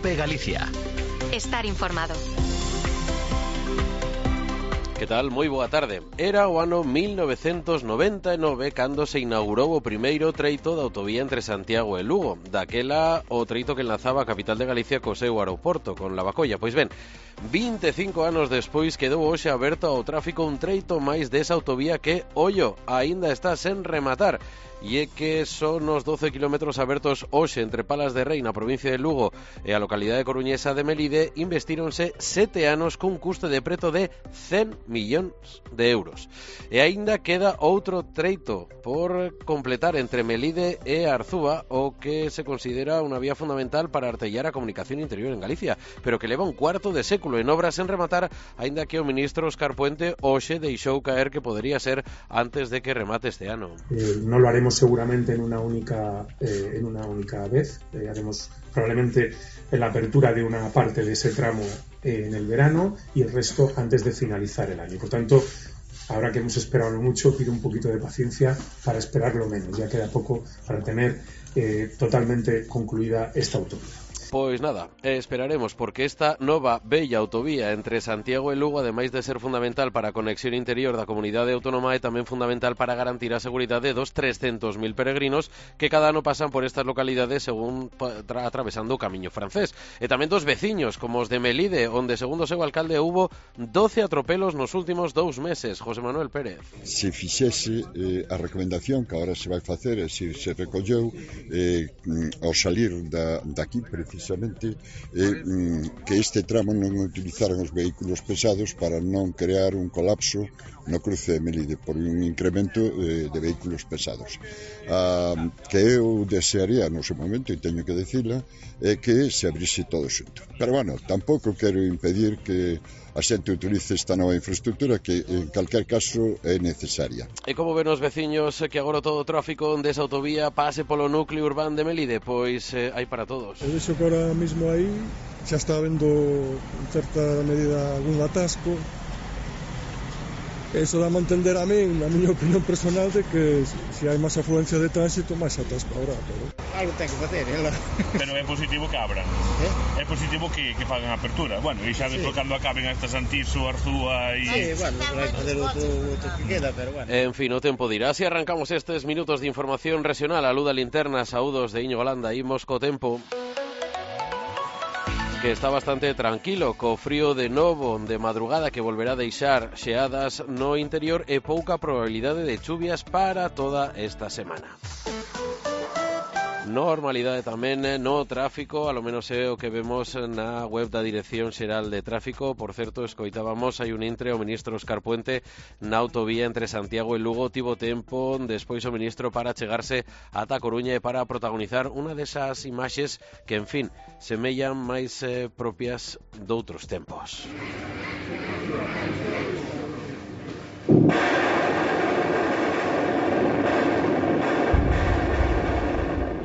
COPE Galicia. Estar informado. Que tal? Moi boa tarde. Era o ano 1999 cando se inaugurou o primeiro treito da autovía entre Santiago e Lugo. Daquela, o treito que enlazaba a capital de Galicia co seu aeroporto, con Lavacolla. Pois ben, 25 anos despois quedou hoxe aberto ao tráfico un treito máis desa autovía que, ollo, aínda está sen rematar. E é que son os 12 kilómetros abertos hoxe entre Palas de Rei na provincia de Lugo e a localidade coruñesa de Melide investíronse 7 anos cun custe de preto de 100 millóns de euros. E aínda queda outro treito por completar entre Melide e Arzúa, o que se considera unha vía fundamental para artellar a comunicación interior en Galicia, pero que leva un cuarto de século en obras en rematar, aínda que o ministro Óscar Puente hoxe deixou caer que podería ser antes de que remate este ano. No lo haremos seguramente en una única vez. Haremos probablemente la apertura de una parte de ese tramo en el verano y el resto antes de finalizar el año. Por tanto, ahora que hemos esperado mucho, pido un poquito de paciencia para esperarlo menos. Ya queda poco para tener totalmente concluida esta autovía. Pois nada, esperaremos, porque esta nova bella autovía entre Santiago e Lugo, ademais de ser fundamental para a conexión interior da comunidade autónoma, é tamén fundamental para garantir a seguridade dos 300.000 peregrinos que cada ano pasan por estas localidades según atravesando o camiño francés. E tamén dos veciños, como os de Melide, onde, segundo o seu alcalde, hubo 12 atropelos nos últimos 2 meses. José Manuel Pérez. Se fixese a recomendación que agora se vai facer, e se recolleu ao salir daqui, precisamente, que este tramo non utilizaran os vehículos pesados para non crear un colapso no cruce de Melide por un incremento de vehículos pesados. Que eu desearía no seu momento, e teño que decirla, é que se abrise todo xunto. Pero bueno, tampouco quero impedir que a xente utilice esta nova infraestructura que en calquer caso é necesaria. E como ven os veciños que agora todo o tráfico desa autovía pase polo núcleo urbano de Melide? Pois hai para todos. Eu dixo que ahora mismo aí xa está habendo en certa medida algún atasco. Eso dá a entender a min, na miña opinión personal, de que se hai máis afluencia de tránsito, máis atasco habrá, pero... Algo ten que facer, ¿eh? Pero é positivo que abran. É positivo que fagan apertura. Bueno, e xa despois cando acaben estas Antiso, Arzúa e... Sí, bueno, vai fazer outro que queda, pero bueno. En fin, o tempo dirá. Si arrancamos estes minutos de información regional, a luz da linterna, saúdos de Íñigo Landa, imos co tempo, que está bastante tranquilo, co frío de novo de madrugada que volverá a deixar xeadas no interior e pouca probabilidade de chuvias para toda esta semana. Normalidade tamén no tráfico, alo menos é o que vemos na web da Dirección Xeral de Tráfico. Por certo, escoitábamos hai un intre o ministro Óscar Puente na autovía entre Santiago e Lugo. Tivo tempo despois o ministro para chegarse ata Coruña e para protagonizar unha desas imaxes que, en fin, semellan máis propias doutros tempos.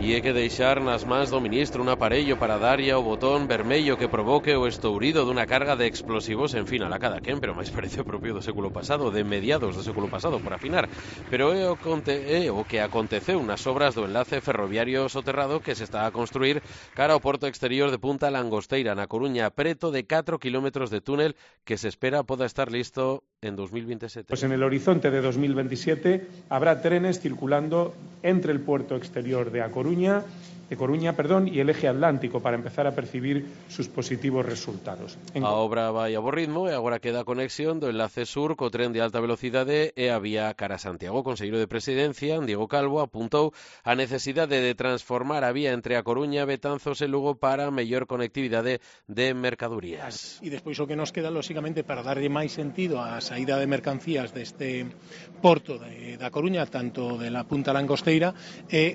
E é que deixar nas mans do ministro un aparello para darlle ao botón vermello que provoque o estourido dunha carga de explosivos, en fin, a la cada quen, pero máis parece propio do século pasado, de mediados do século pasado, por afinar. Pero é o que aconteceu nas obras do enlace ferroviario soterrado que se está a construir cara ao porto exterior de Punta Langosteira, na Coruña, preto de 4 kilómetros de túnel que se espera poda estar listo en 2027. Pues en el horizonte de 2027 habrá trenes circulando entre el puerto exterior de Coruña y el eje atlántico para empezar a percibir sus positivos resultados. A obra vai a bo ritmo e agora queda a conexión do enlace sur co tren de alta velocidade e a vía cara a Santiago. O conselleiro de Presidencia, Diego Calvo, apuntou a necesidade de transformar a vía entre a Coruña, Betanzos e Lugo para mellor conectividade de mercadorías. E despois o que nos queda, lóxicamente, para darlle máis sentido á saída de mercancías deste porto da Coruña, tanto de la Punta Langosteira, e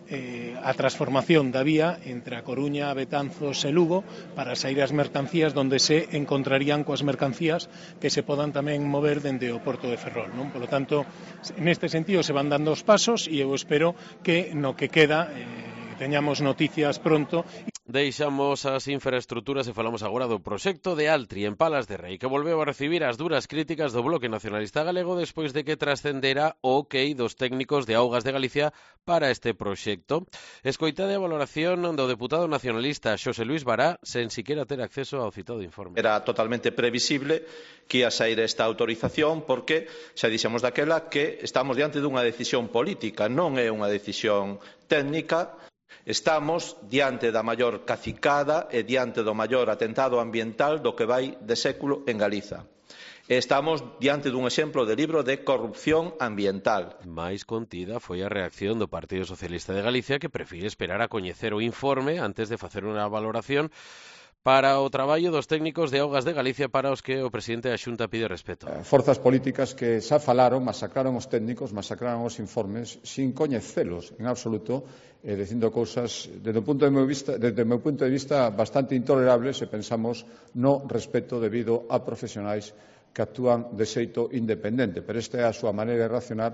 a transformación da vía entre a Coruña, Betanzos e Lugo para sair as mercancías donde se encontrarían coas mercancías que se podan tamén mover dende o porto de Ferrol, non? Por lo tanto, neste sentido se van dando os pasos e eu espero que no que queda teñamos noticias pronto. Deixamos as infraestructuras e falamos agora do proxecto de Altri en Palas de Rei, que volveu a recibir as duras críticas do Bloque Nacionalista Galego despois de que trascendera o ok dos técnicos de Augas de Galicia para este proxecto. Escoitade a valoración do deputado nacionalista Xosé Luís Bará sen siquiera ter acceso ao citado informe. Era totalmente previsible que ia sair esta autorización porque xa dixemos daquela que estamos diante dunha decisión política, non é unha decisión técnica. Estamos diante da maior cacicada e diante do maior atentado ambiental do que vai de século en Galiza. Estamos diante dun exemplo de libro de corrupción ambiental. Mais contida foi a reacción do Partido Socialista de Galicia, que prefire esperar a coñecer o informe antes de facer unha valoración para o traballo dos técnicos de Augas de Galicia, para os que o presidente da Xunta pide respeto. Forzas políticas que xa falaron, masacraron os técnicos, masacraron os informes, sin coñecelos en absoluto, dicindo cousas, desde o meu punto de vista, bastante intolerables se pensamos no respeto debido a profesionais que actúan de xeito independente, pero esta é a súa maneira de racionar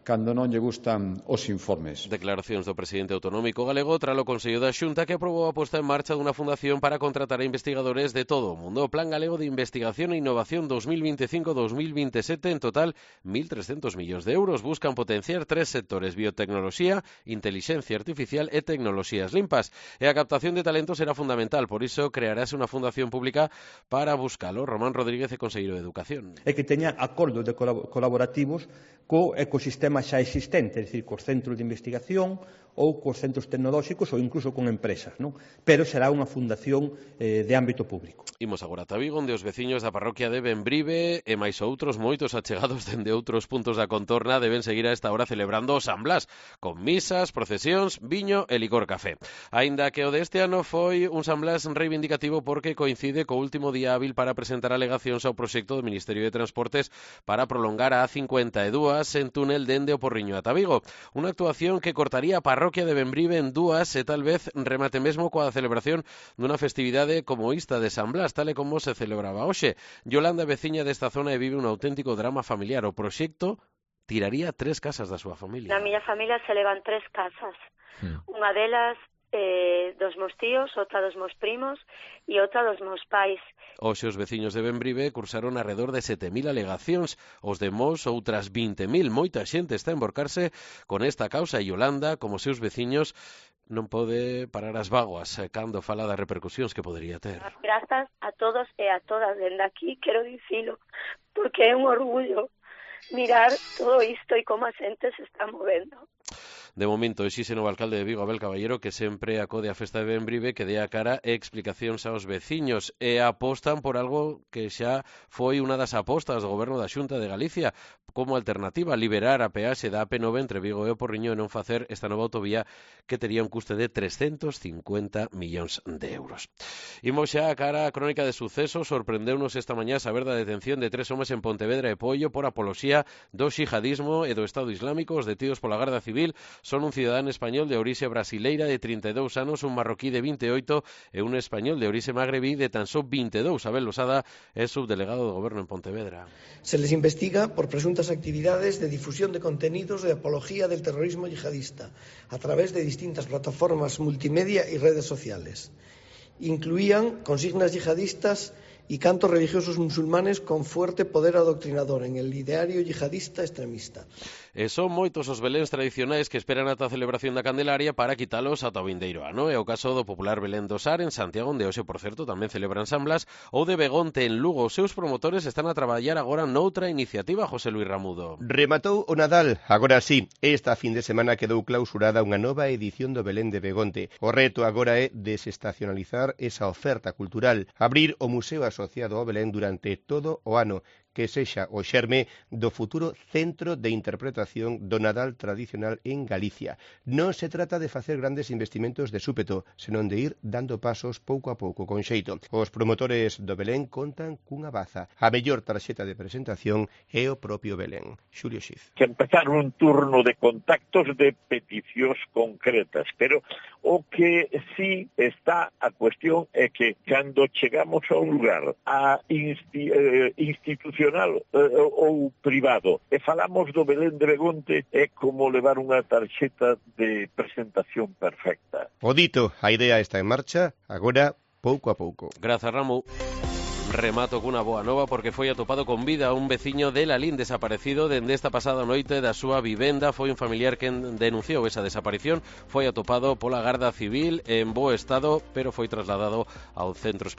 cando non lle gustan os informes. Declaracións do presidente autonómico galego tras o Consello da Xunta, que aprobou a posta en marcha dunha fundación para contratar a investigadores de todo o mundo. O Plan Galego de Investigación e Innovación 2025-2027, en total 1.300 millóns de euros, buscan potenciar 3 sectores: biotecnoloxía, intelixencia artificial e tecnoloxías limpas. E a captación de talentos será fundamental, por iso crearase unha fundación pública para buscalo. Román Rodríguez é conselleiro de Educación. É que teña acordos de colaborativos co ecosistema xa existente, é dicir, cos centros de investigación ou cos centros tecnolóxicos ou incluso con empresas, non? Pero será unha fundación de ámbito público. Imos agora a Vigo, onde os veciños da parroquia de Bembrive e máis outros moitos achegados dende outros puntos da contorna deben seguir a esta hora celebrando o San Blas, con misas, procesións, viño e licor café. Aínda que o deste ano foi un San Blas reivindicativo porque coincide co último día hábil para presentar alegacións ao proxecto do Ministerio de Transportes para prolongar a A52 en túnel dende o Porriño ata Vigo. Unha actuación que cortaría a parroquia de Bembrive en dúas e tal vez remate mesmo coa celebración dunha festividade como esta de San Blas, tal e como se celebraba hoxe. Yolanda é veciña desta zona e vive un auténtico drama familiar. O proxecto tiraría 3 casas da súa familia. Na miña familia se levan 3 casas. Unha delas dos meus tíos, outra dos meus primos e outra dos meus pais. Hoxe os veciños de Bembrive cursaron alrededor de 7.000 alegacións, os de Mos outras 20.000. Moita xente está a emborcarse con esta causa e Yolanda, como seus veciños, non pode parar as vaguas cando fala das repercusións que podería ter. Grazas a todos e a todas dende aquí, quero dicilo, porque é un orgullo mirar todo isto e como a xente se está movendo. De momento, exixe o alcalde de Vigo, Abel Caballero, que sempre acode a festa de Bembrive, que dé a cara e explicacións aos veciños, e apostan por algo que xa foi unha das apostas do goberno da Xunta de Galicia, como alternativa, liberar a peaxe da AP9 entre Vigo e o Porriño e non facer esta nova autovía que tería un custe de 350 millóns de euros. Imos xa a cara a crónica de sucesos. Sorprendeunos esta mañá saber da detención de 3 homes en Pontevedra e Poio por apoloxía do xihadismo e do Estado Islámico. Os detidos pola Garda Civil son un cidadán español de orixe brasileira de 32 anos, un marroquí de 28 e un español de orixe magrebí de tan só 22. Abel Losada é subdelegado do Goberno en Pontevedra. Se les investiga por presuntas actividades de difusión de contenidos de apología del terrorismo yihadista a través de distintas plataformas multimedia y redes sociales. Incluían consignas yihadistas y cantos religiosos musulmanes con fuerte poder adoctrinador en el ideario yihadista extremista. E son moitos os beléns tradicionais que esperan ata a celebración da Candelaria para quitalos ata o vindeiro ano. É o caso do popular Belén do Sar en Santiago, onde hoxe, por certo, tamén celebran San Blas, ou de Begonte en Lugo. Os seus promotores están a traballar agora noutra iniciativa, José Luis Ramudo. Rematou o Nadal, agora sí. Esta fin de semana quedou clausurada unha nova edición do Belén de Begonte. O reto agora é desestacionalizar esa oferta cultural, abrir o museo asociado ao Belén durante todo o ano, que sexa o xerme do futuro centro de interpretación do Nadal tradicional en Galicia. Non se trata de facer grandes investimentos de súpeto, senón de ir dando pasos pouco a pouco con xeito. Os promotores do Belén contan cunha baza. A mellor tarxeta de presentación é o propio Belén. Xulio Xiz. Que empezar un turno de contactos de peticións concretas, pero o que sí está a cuestión é que cando chegamos a un lugar a institución ou privado e falamos do Belén de Begonte, é como levar unha tarxeta de presentación perfecta. O dito, a idea está en marcha, agora pouco a pouco. Grazas, Ramu. Remato cunha boa nova porque foi atopado con vida un veciño de Lalín desaparecido dende esta pasada noite da súa vivenda. Foi un familiar que denunciou esa desaparición. Foi atopado pola Garda Civil en bo estado, pero foi trasladado ao centro hospitalario.